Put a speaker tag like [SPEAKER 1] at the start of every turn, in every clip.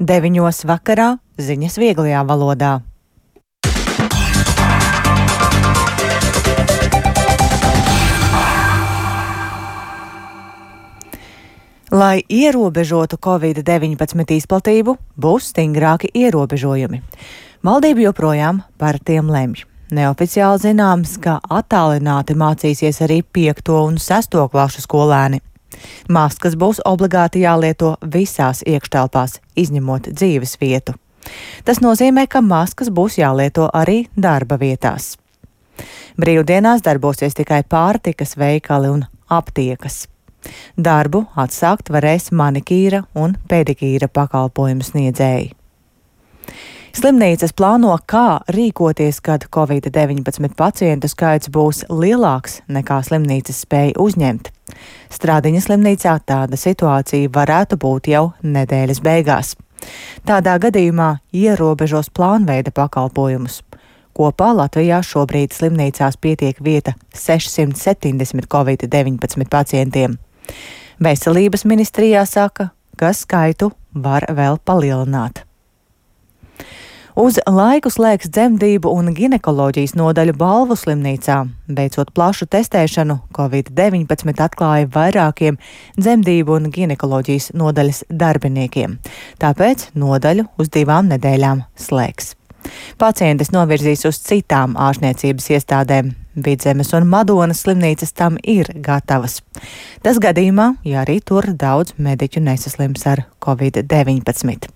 [SPEAKER 1] 9 vakarā ziņas vieglajā valodā. Lai ierobežotu Covid-19 izplatību, būs stingrāki ierobežojumi. Valdība joprojām par tiem lemj. Neoficiāli zināms, ka attālināti mācīsies arī 5. un 6. klašu skolēni. Maskas būs obligāti jālieto visās iekštelpās, izņemot dzīves vietu. Tas nozīmē, ka maskas būs jālieto arī darba vietās. Brīvdienās darbosies tikai pārtikas veikali un aptiekas. Darbu atsākt varēs manikīra un pedikīra pakalpojumu sniedzēji. Slimnīcas plāno, kā rīkoties, kad Covid-19 pacientu skaits būs lielāks nekā slimnīcas spēja uzņemt. Stradiņas slimnīcā tāda situācija varētu būt jau nedēļas beigās. Tādā gadījumā ierobežos plānveida pakalpojumus. Kopā Latvijā šobrīd slimnīcās pietiek vieta 670 Covid-19 pacientiem. Veselības ministrijā saka, ka skaitu var vēl palielināt. Uz laiku slēgs dzemdību un ginekoloģijas nodaļu Balvu slimnīcā. Veicot plašu testēšanu, Covid-19 atklāja vairākiem dzemdību un ginekoloģijas nodaļas darbiniekiem. Tāpēc nodaļu uz 2 nedēļām slēgs. Pacientis novirzīs uz citām ārstniecības iestādēm. Vidzemes un Madonas slimnīcas tam ir gatavas. Tas gadījumā, ja arī tur daudz mediķu nesaslims ar Covid-19.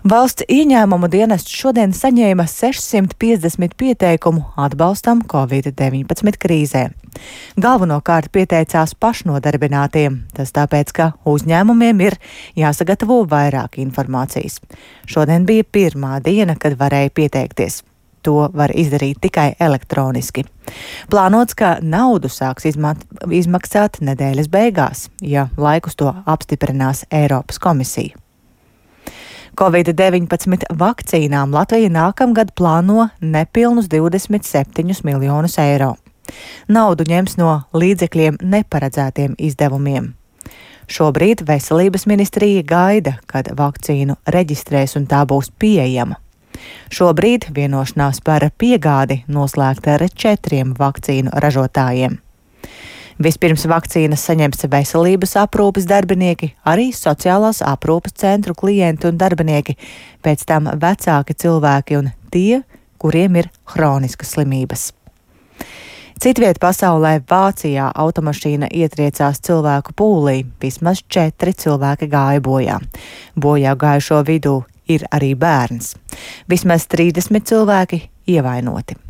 [SPEAKER 1] Valsts ieņēmumu dienests šodien saņēma 650 pieteikumu atbalstam Covid-19 krīzē. Galvenokārt pieteicās pašnodarbinātiem, tas tāpēc, ka uzņēmumiem ir jāsagatavo vairāk informācijas. Šodien bija pirmā diena, kad varēja pieteikties. To var izdarīt tikai elektroniski. Plānots, ka naudu sāks izmaksāt nedēļas beigās, ja laikus to apstiprinās Eiropas komisija. Covid-19 vakcīnām Latvija nākamgad plāno nepilnus 27 miljonus eiro. Naudu ņems no līdzekļiem neparedzētiem izdevumiem. Šobrīd Veselības ministrija gaida, kad vakcīnu reģistrēs un tā būs pieejama. Šobrīd vienošanās par piegādi noslēgta ar 4 vakcīnu ražotājiem. Vispirms vakcīnas saņems veselības aprūpes darbinieki, arī sociālās aprūpes centru klienti un darbinieki, pēc tam vecāki cilvēki un tie, kuriem ir hroniskas slimības. Citviet pasaulē Vācijā automašīna ietriecās cilvēku pūlī, vismaz 4 cilvēki gāja bojā. Bojā gājušo vidū ir arī bērns. Vismaz 30 cilvēki ievainoti.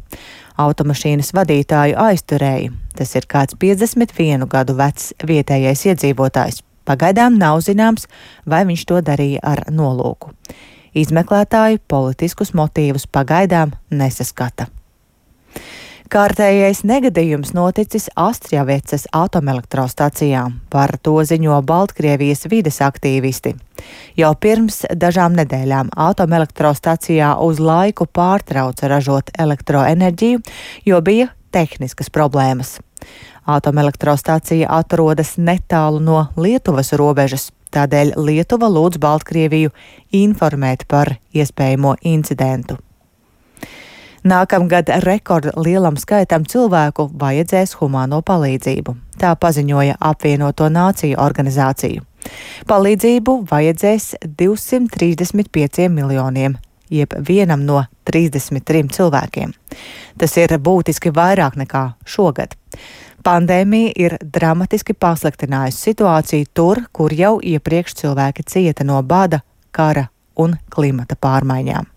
[SPEAKER 1] Automašīnas vadītāju aizturēja. Tas ir kāds 51 gadu vecs vietējais iedzīvotājs. Pagaidām nav zināms, vai viņš to darīja ar nolūku. Izmeklētāji politiskus motīvus pagaidām nesaskata. Kārtējais negadījums noticis Astravecas atomelektrostacijā. Par to ziņo Baltkrievijas vides aktīvisti. Jau pirms dažām nedēļām atomelektrostacijā uz laiku pārtrauca ražot elektroenerģiju, jo bija tehniskas problēmas. Atomelektrostacija atrodas netālu no Lietuvas robežas, tādēļ Lietuva lūdz Baltkrieviju informēt par iespējamo incidentu. Nākamgad rekordlielam skaitam cilvēku vajadzēs humāno palīdzību. Tā paziņoja Apvienoto Nāciju organizācija. Palīdzību vajadzēs 235 miljoniem, jeb vienam no 33 cilvēkiem. Tas ir būtiski vairāk nekā šogad. Pandēmija ir dramatiski pasliktinājusi situāciju tur, kur jau iepriekš cilvēki cieta no bada, kara un klimata pārmaiņām.